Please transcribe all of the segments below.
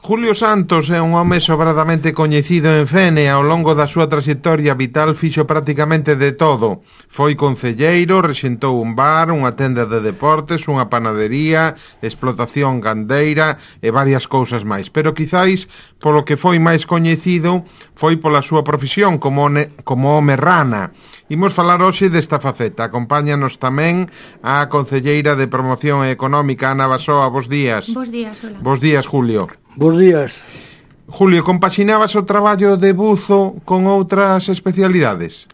Julio Santos é un home sobradamente coñecido en Fene. Ao longo da súa trayectoria vital fixo prácticamente de todo. Foi concelleiro, rexentou un bar, unha tenda de deportes, unha panadería, explotación gandeira e varias cousas máis. Pero quizáis polo que foi máis coñecido foi pola súa profesión como home rana. Imos falar hoxe desta faceta. Acompáñanos tamén a concelleira de Promoción Económica, Ana Basoa. Bos días. Bos días, hola. Bos días, Julio. Bos días. Julio, compaxinabas o traballo de buzo con outras especialidades?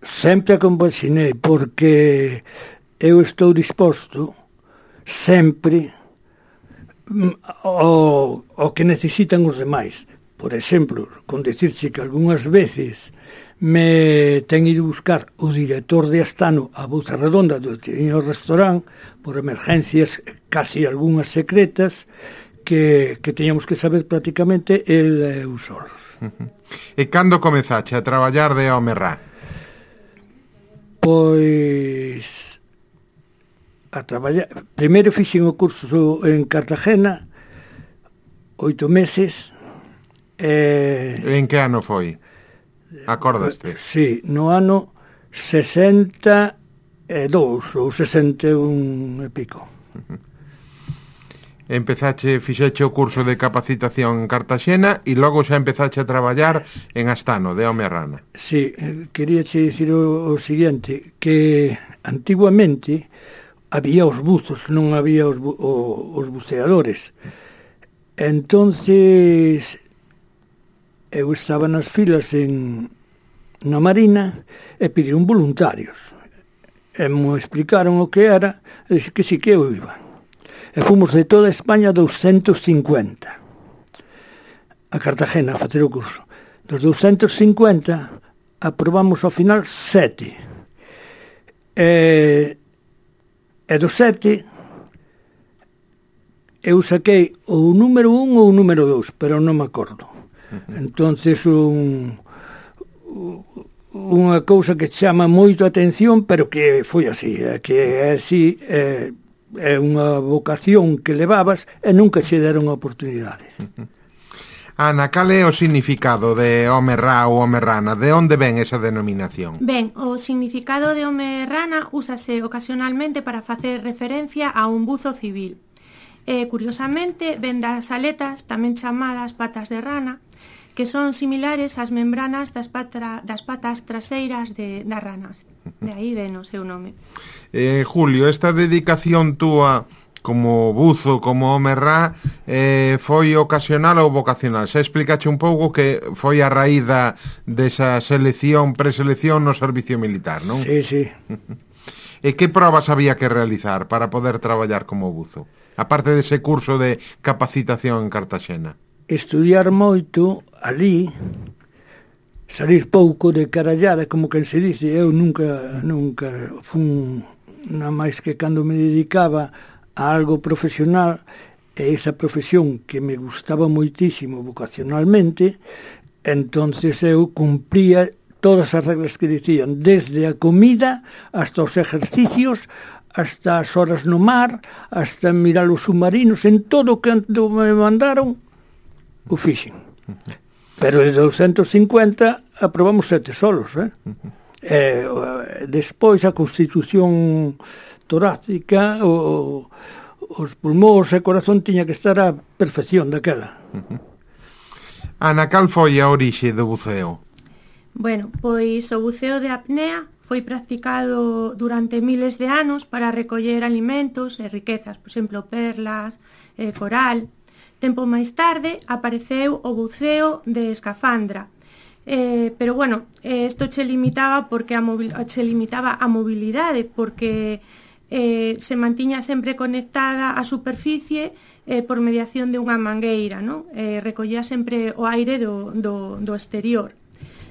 Sempre a compaxinei, porque eu estou disposto sempre ao que necesitan os demais. Por exemplo, con dicirche que algunhas veces me ten ido buscar o director de Astano a Buza Redonda do Tiño Restaurant por emergencias casi algunhas secretas que teñamos que saber prácticamente el e os solos. E cando comezache a traballar de home rá? Pois a traballar, primeiro fixen o curso en Cartagena 8 meses. En que ano foi? Acordaste? Sí, no ano 62 ou 61 e pico. Fixeche o curso de capacitación en Cartaxena e logo xa empezache a traballar en Astano, de home rana. Sí, queríache dicir o seguinte, que antiguamente había os buzos, non había os buceadores. Entonces eu estaba nas filas na Marina e pediron voluntarios. E me explicaron o que era, e dixo que sí que eu iba. E fomos de toda España 250 a Cartagena a facer o curso. Dos 250 aprobamos ao final 7. E dos 7 eu saquei o número 1 ou o número 2, pero non me acordo. Entonces unha cousa que chama moito a atención, pero que foi así, que é así, é unha vocación que levabas e nunca che deron a oportunidade. Ana, cal é o significado de home rá ou home rana? De onde ven esa denominación? Ben, o significado de home rana úsase ocasionalmente para facer referencia a un buzo civil. Curiosamente, ven das aletas, tamén chamadas patas de rana, que son similares ás membranas das patas traseiras das ranas. De aí ven o seu nome. Julio, esta dedicación túa como buzo, como home rá, foi ocasional ou vocacional? Xa explicache un pouco que foi a raíz desa preselección no servicio militar, non? Sí, sí. E que probas había que realizar para poder traballar como buzo? Aparte dese curso de capacitación en Cartaxena. Estudiar moito ali, salir pouco de carallada, como que se dice. Eu nunca fun, nada máis que cando me dedicaba a algo profesional, e esa profesión que me gustaba moitísimo vocacionalmente, entonces eu cumplía todas as reglas que dicían, desde a comida hasta os exercicios, hasta as horas no mar, hasta mirar os submarinos, en todo o que me mandaron, o fixen. Pero de 250 aprobamos 7 solos, despois a constitución torácica, os pulmóns e o corazón tiña que estar a perfección daquela. Ana, cal foi a orixe do buceo? Bueno, pois o buceo de apnea foi practicado durante miles de anos para recoller alimentos e riquezas, por exemplo, perlas, coral. Tempo máis tarde apareceu o buceo de escafandra, pero bueno, isto che limitaba a mobilidade, porque se mantiña sempre conectada á superficie por mediación de unha mangueira, non? Recollía sempre o aire do exterior.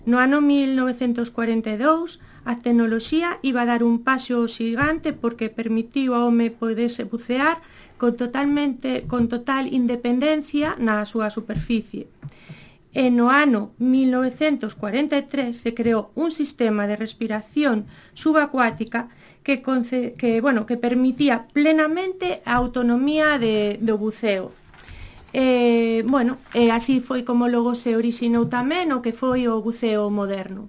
No ano 1942 a tecnoloxía iba a dar un paso xigante porque permitiu ao home poderse bucear con total independencia na súa superficie. E no ano 1943 se creou un sistema de respiración subacuática que permitía plenamente a autonomía do buceo. Bueno, así foi como logo se orixinou tamén o que foi o buceo moderno.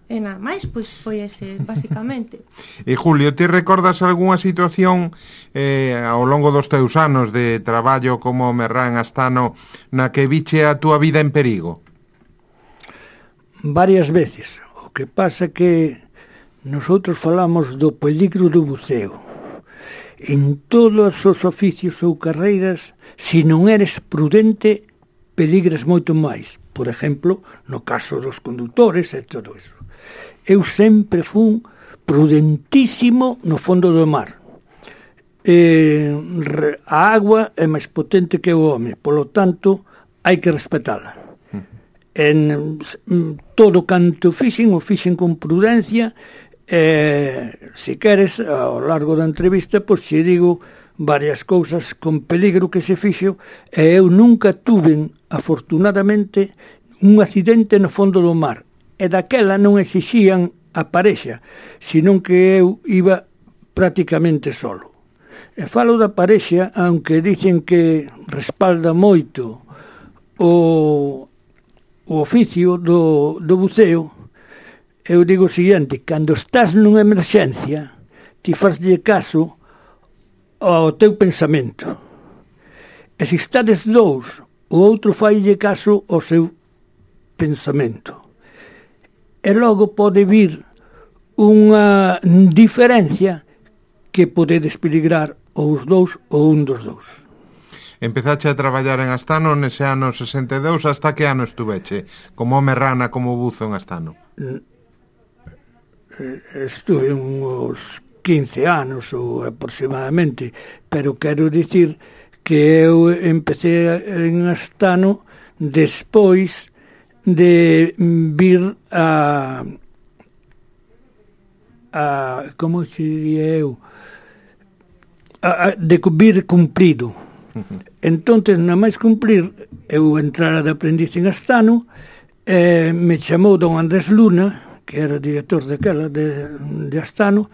E nada máis, pois foi ese, basicamente. E Julio, ti recordas algunha situación ao longo dos teus anos de traballo como merrán astano na que viche a túa vida en perigo? Varias veces. O que pasa que nosotros falamos do peligro do buceo. En todos os oficios ou carreiras, se non eres prudente, peligras moito máis. Por exemplo, no caso dos condutores e todo iso. Eu sempre fun prudentísimo no fondo do mar. A agua é máis potente que o home, polo tanto, hai que respetala. En todo canto o fixen con prudencia. Se queres, ao largo da entrevista, pois se digo varias cousas con peligro que se fixo, e eu nunca tuve, afortunadamente, un accidente no fondo do mar, e daquela non exixían a parexa, senón que eu iba prácticamente solo. E falo da parexa, aunque dicen que respalda moito o oficio do buceo. Eu digo o seguinte: cando estás nunha emerxencia, ti faslle caso ao teu pensamento. E se estades dous, o outro faille caso ao seu pensamento. E logo pode vir unha diferencia que podedes peligrar ou os dous ou un dos dous. Empezache a traballar en Astano nese ano 62, hasta que ano estuveche? Como home rana, como buzo en Astano? Estuve uns 15 anos ou aproximadamente, pero quero dicir que eu empecé en Astano despois de vir a como se diría eu, de vir cumprido. Entonces, na máis cumplir, eu entrara de aprendiz en Astano, me chamou don Andrés Luna, que era director daquela de Astano,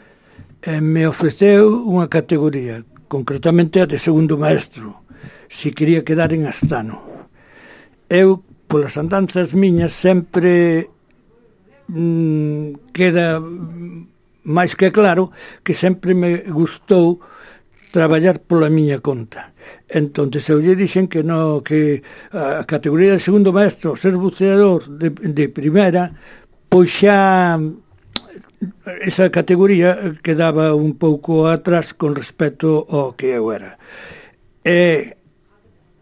me ofreceu unha categoría, concretamente a de segundo maestro, se quería quedar en Astano. Eu, polas andanzas miñas, sempre queda máis que claro que sempre me gustou traballar pola miña conta. Entón, eu lle dixen que no, que a categoría de segundo maestro, ser buceador de primeira, pois xa esa categoría quedaba un pouco atrás con respecto ao que eu era. E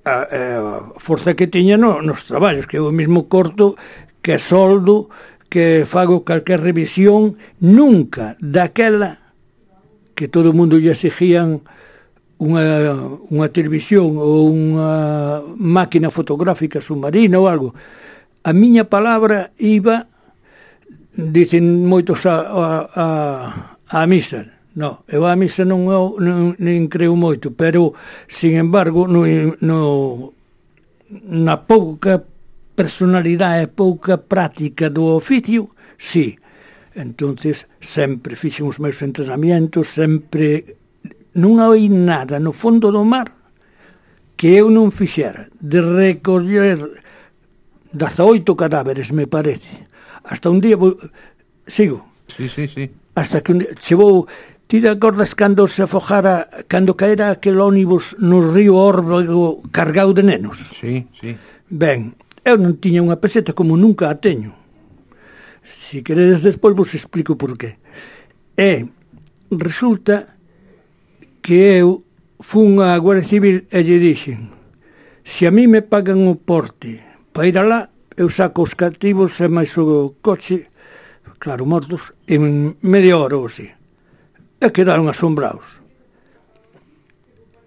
a forza que tiña nos traballos, que eu mesmo corto, que soldo, que fago calquer revisión, nunca daquela que todo o mundo lle exigían unha televisión ou unha máquina fotográfica submarina ou algo. A miña palabra iba, dicen moitos a misa. No, eu a misa non creo moito, pero, sin embargo, na pouca personalidade, pouca práctica do oficio, sí. Entonces, sempre fixen os meus entrenamientos, sempre non hai nada no fondo do mar que eu non fixera. De recoller 18 cadáveres, me parece. Hasta un día... Sigo? Sí. Hasta que un día... Chevou... Ti te acordas cando se afojara, cando caera aquel ónibus no río Órbago cargado de nenos? Sí. Ben, eu non tiña unha peseta como nunca a teño. Se queredes despois vos explico por qué. E resulta que eu fun á Guardia Civil e lle dixen: se a mí me pagan o porte para ir alá, eu saco os cativos e máis o coche, claro, mortos, en media hora ou así. E quedaron asombrados.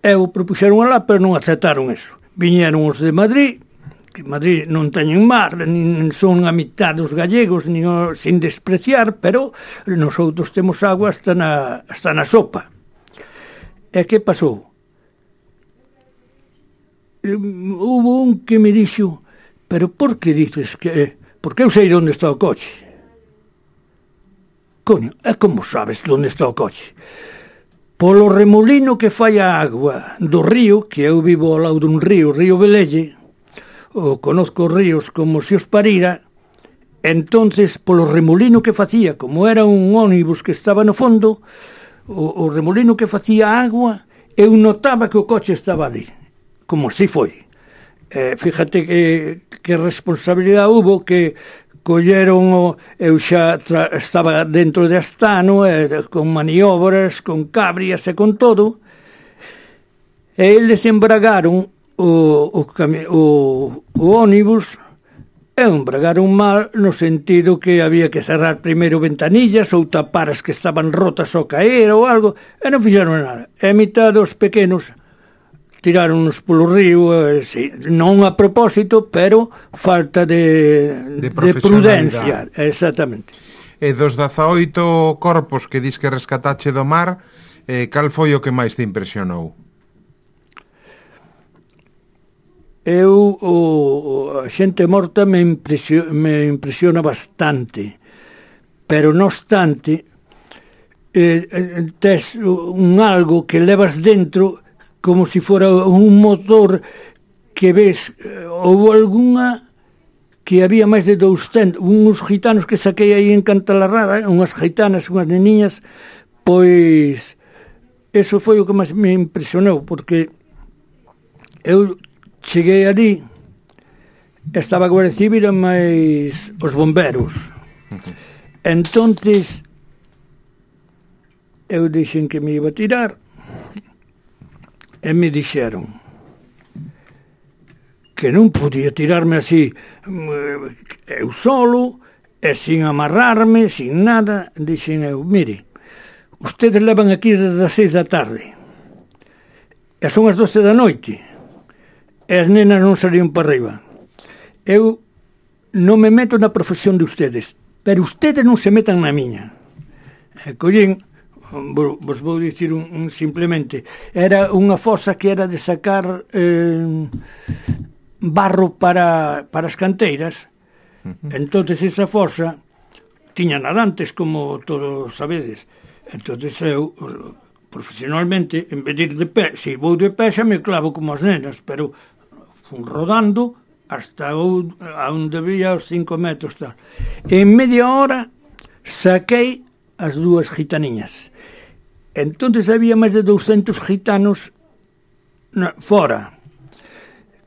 Eu propuxeron alá, pero non aceptaron eso. Viñeron os de Madrid, que Madrid non teñen mar, nin son a mitad dos gallegos, nin sin despreciar, pero nosotros temos agua hasta na sopa. E que pasou? Hubo un que me dixo: pero por que dices que... Porque eu sei onde está o coche. Coño, e como sabes onde está o coche? polo remolino que fai a agua do río, que eu vivo ao lado dun río, Río Velelle, o conozco os ríos como se os parira, entonces polo remolino que facía, como era un ónibus que estaba no fondo, o remolino que facía agua, eu notaba que o coche estaba ali, como si foi. Fíjate que responsabilidade hubo, que colleron, eu xa estaba dentro de Astano, con maniobras, con cabrias e con todo, e eles embragaron o ónibus, e embragaron mal no sentido que había que cerrar primeiro ventanillas ou tapar as que estaban rotas ao caer ou algo, e non fixeron nada. E a mitad dos pequenos tiráronos polo río, sí, non a propósito, pero falta de prudencia, exactamente. E dos 18 corpos que dis que rescatache do mar, cal foi o que máis te impresionou? A xente morta me impresiona bastante, pero non obstante, tes un algo que levas dentro como se fora un motor que ves, houve algunha que había máis de 200, uns gitanos que saquei aí en Cantalarrada, unhas gitanas, unhas neniñas, pois eso foi o que máis me impresionou, porque eu cheguei ali, estaba a Guardia Civil e máis os bomberos. Entonces eu dixen que me iba a tirar, e me dixeron que non podía tirarme así eu solo e sin amarrarme, sin nada. Dixen eu, mire, ustedes levan aquí desde as 6 da tarde e son as 12 da noite e as nenas non salían para arriba. Eu non me meto na profesión de ustedes, pero ustedes non se metan na miña. E collín, vos vou dicir simplemente, era unha fosa que era de sacar barro para as canteiras. Entonces esa fosa tiña nadantes, como todos sabedes. Entonces eu, profesionalmente, en vez de ir de pé, se vou de pé xa me clavo como as nenas, pero fun rodando hasta onde vía os 5 metros tal. En media hora saquei as dúas gitaniñas. Entonces había máis de 200 gitanos fora.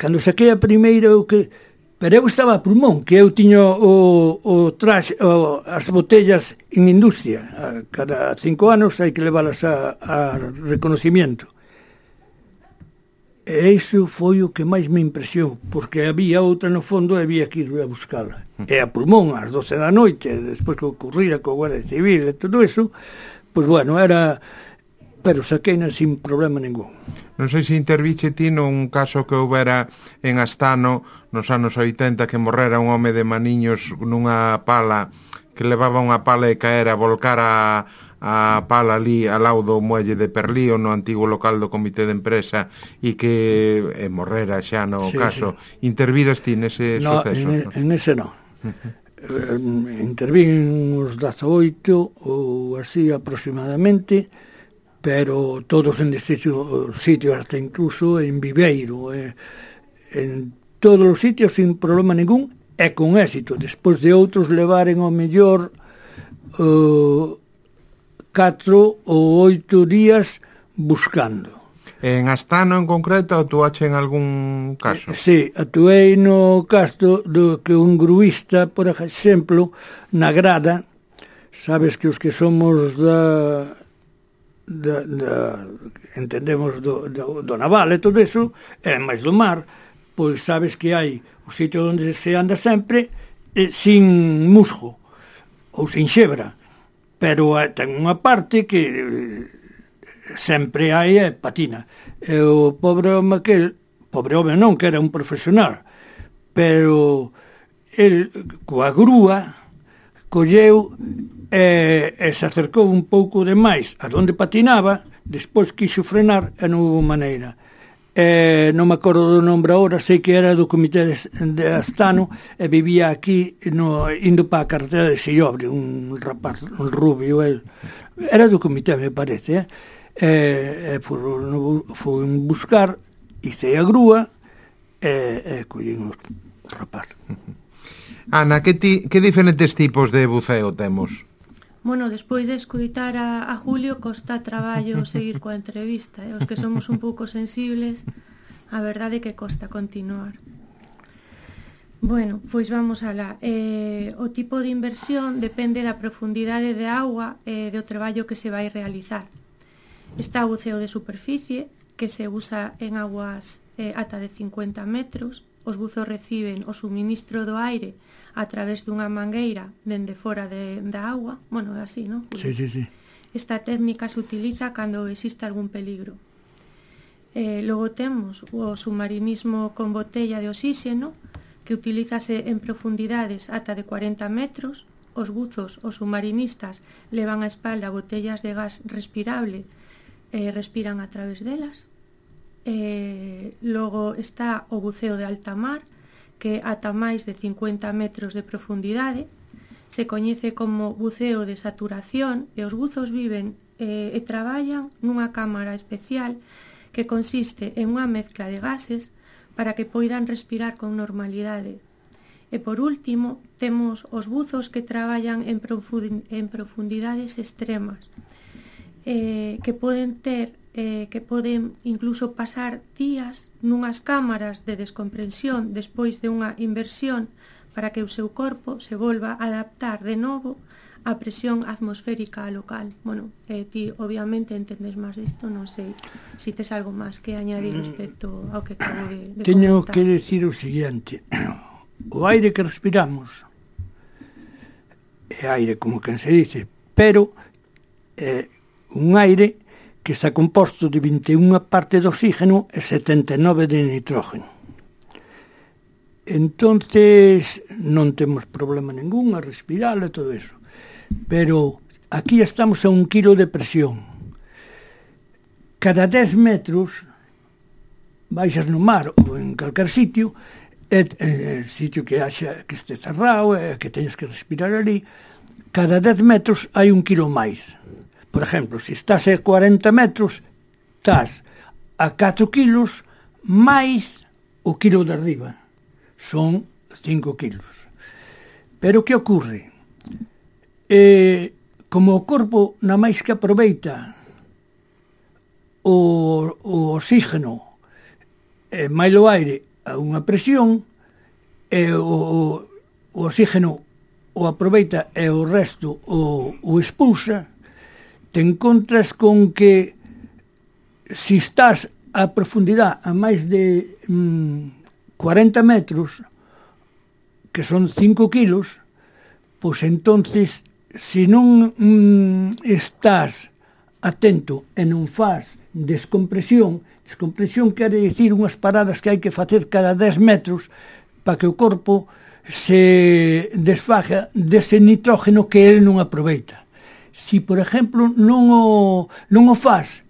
Cando saquei a primeira, pero eu estaba a pulmón, que eu tiño o traxe, as botellas en industria. Cada 5 anos hai que leválas a reconocimiento. E iso foi o que máis me impresionou, porque había outra no fondo e había que ir a buscala. E a pulmón, ás 12 da noite, despois que ocurrira co Guardia Civil e todo eso, pois bueno, era... pero saqueina sin problema ningún. Non sei se interviche ti nun caso que houbera en Astano nos anos 80, que morrera un home de Maniños nunha pala, que levaba unha pala e caera, volcara a pala ali ao lado do muelle de Perlío, no antigo local do comité de empresa, e que morrera xa no caso. Sí. Interviras ti nese suceso? En ese non. Intervín uns 18 ou así aproximadamente, pero todos en distintos sitios, hasta incluso en Viveiro, en todos os sitios sin problema ningún e con éxito, despois de outros levaren ao mellor 4 ou 8 días buscando. En Astano en concreto atuache en algún caso? Sí, atuei no caso do que un gruista, por exemplo, na grada, sabes que os que somos entendemos do naval e todo eso, e máis do mar, pois sabes que hai o sitio onde se anda sempre sin musgo ou sin xebra, pero ten unha parte que sempre hai patina. E o pobre home non, que era un profesional, pero el coa grúa colleu e se acercou un pouco de máis a donde patinaba, despois quixo frenar e non houve maneira. Non me acordo do nombre agora, sei que era do comité de Astano e vivía aquí indo para a carretera de Sillobre, un rapaz, un rubio, era do comité, me parece, foron buscar, hice a grúa, e collín os rapaz. Ana, que diferentes tipos de buceo temos? Bueno, despois de escoitar a Julio, costa traballo seguir coa entrevista. Os que somos un pouco sensibles, a verdade é que costa continuar. Bueno, pois vamos alá. O tipo de inversión depende da profundidade de auga e do traballo que se vai realizar. Está o buceo de superficie, que se usa en aguas ata de 50 metros. Os buzos reciben o suministro do aire a través dunha mangueira dende fora da agua. Bueno, é así, non? Sí. Esta técnica se utiliza cando existe algún peligro. Logo temos o submarinismo con botella de oxígeno, que utilízase en profundidades ata de 40 metros. Os buzos, os submarinistas, levan a espalda botellas de gas respirable e respiran a través delas. Logo está o buceo de alta mar, que ata máis de 50 metros de profundidade. Se coñece como buceo de saturación e os buzos viven e traballan nunha cámara especial que consiste en unha mezcla de gases para que poidan respirar con normalidade. E por último, temos os buzos que traballan en profundidades extremas, que poden incluso pasar días nunhas cámaras de descomprensión despois de unha inversión para que o seu corpo se volva a adaptar de novo á presión atmosférica local. Bueno, ti obviamente entendes máis isto, non sei se tes algo máis que añadir respecto ao que acabo de comentar. Teño que decir o seguinte: o aire que respiramos é aire, como quen se dice, pero é un aire que está composto de 21 parte de oxígeno e 79 de nitrógeno. Entonces non temos problema ningún a respirar e todo eso. Pero aquí estamos a 1 kilo de presión. Cada 10 metros baixas no mar ou en calquer sitio, sitio que este cerrado e que teñes que respirar ali, cada 10 metros hai 1 kilo máis. Por exemplo, se estás a 40 metros, estás a 4 kilos máis o kilo de arriba. Son 5 kilos. Pero que ocurre? Como o corpo na máis que aproveita o oxígeno e máis o aire a unha presión, e o oxígeno o aproveita e o resto o expulsa, te encontras con que se estás a profundidade a máis de 40 metros, que son 5 kilos, pois entonces, se non estás atento e non faz descompresión quere dicir unhas paradas que hai que facer cada 10 metros para que o corpo se desfaga dese nitrógeno que ele non aproveita. Si, por exemplo, non o faz,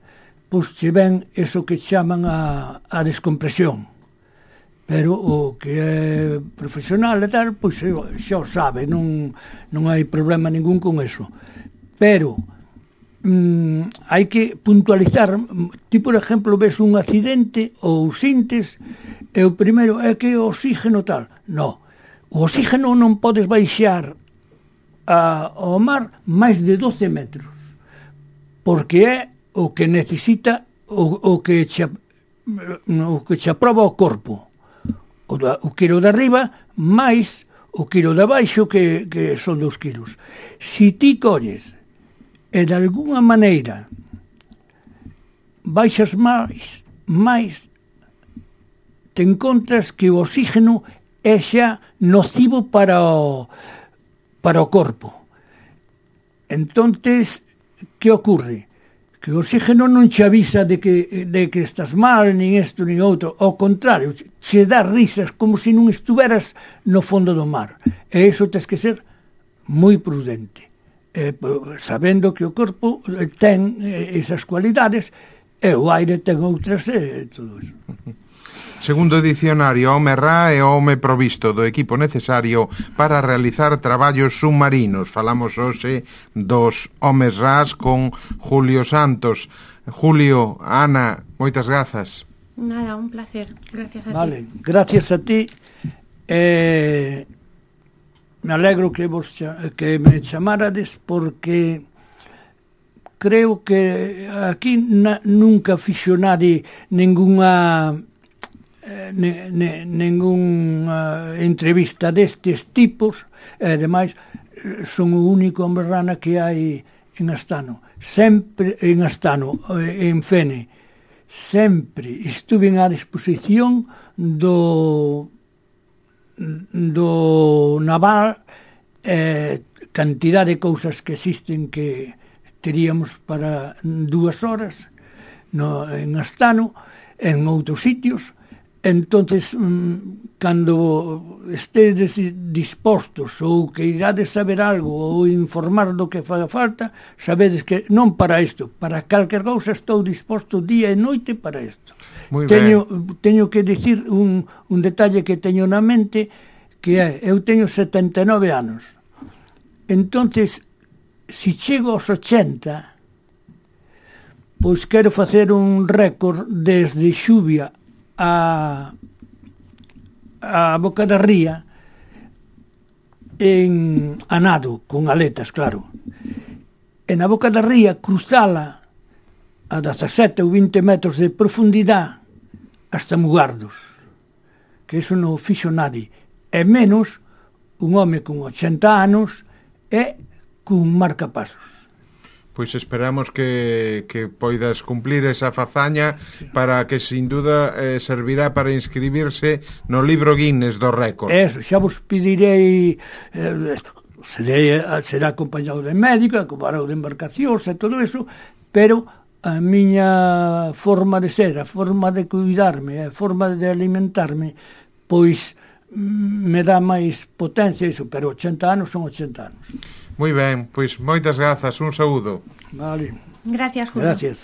pois se ven eso que chaman a descompresión. Pero o que é profesional e tal, pois xa o sabe, non hai problema ningún con eso. Pero hai que puntualizar. Ti, por exemplo, ves un accidente ou sintes, e o primeiro é que o oxígeno tal. Non, o oxígeno non podes baixar ao mar máis de 12 metros, porque é o que necesita o que che aproba o corpo, o quilo de arriba máis o quilo de abaixo, que son 2 kilos. Si ti colles e de alguna maneira baixas máis, te encontras que o oxígeno é xa nocivo para o corpo. Entonces, que ocurre? Que o oxígeno non che avisa de que estás mal, nin isto, nin outro. Ao contrario, che dá risas como se non estuveras no fondo do mar. E iso tens que ser moi prudente, sabendo que o corpo ten esas cualidades e o aire ten outras e todo iso. Segundo o dicionario, home ra é o home provisto do equipo necesario para realizar traballos submarinos. Falamos hoxe dos homes ras con Julio Santos. Julio, Ana, moitas grazas. Nada, un placer. Gracias a ti. Vale, gracias a ti. Me alegro que me chamarades, porque creo que aquí nunca fixo nadie ninguna entrevista destes tipos, e ademais son o único hombre rana que hai en Astano, sempre en Astano, en Fene, sempre estuve á disposición do naval, cantidad de cousas que existen que teríamos para 2 horas en Astano, en outros sitios. Entonces, cando estedes dispostos ou que irades saber algo ou informar do que faga falta, sabedes que non para isto, para calquer cousa estou disposto día e noite para isto. Teño que dicir un detalle que teño na mente, que é, eu teño 79 anos. Entonces, se chego aos 80, pois quero facer un récord desde Xuvia a Boca da Ría en nado, con aletas, claro. E na Boca da Ría cruzala a 17 ou 20 metros de profundidade hasta Mugardos, que iso non fixo nadie, e menos un home con 80 anos e cun marcapasos. Pois esperamos que poidas cumplir esa fazaña, para que sin duda servirá para inscribirse no libro Guinness do récord. Eso, xa vos pedirei, será acompañado de médico, acompañado de embarcacións e todo eso, pero a miña forma de ser, a forma de cuidarme, a forma de alimentarme, pois me dá máis potencia iso, pero 80 anos son 80 anos. Moi ben, pois moitas grazas, un saúdo. Vale. Gracias, Julio. Gracias.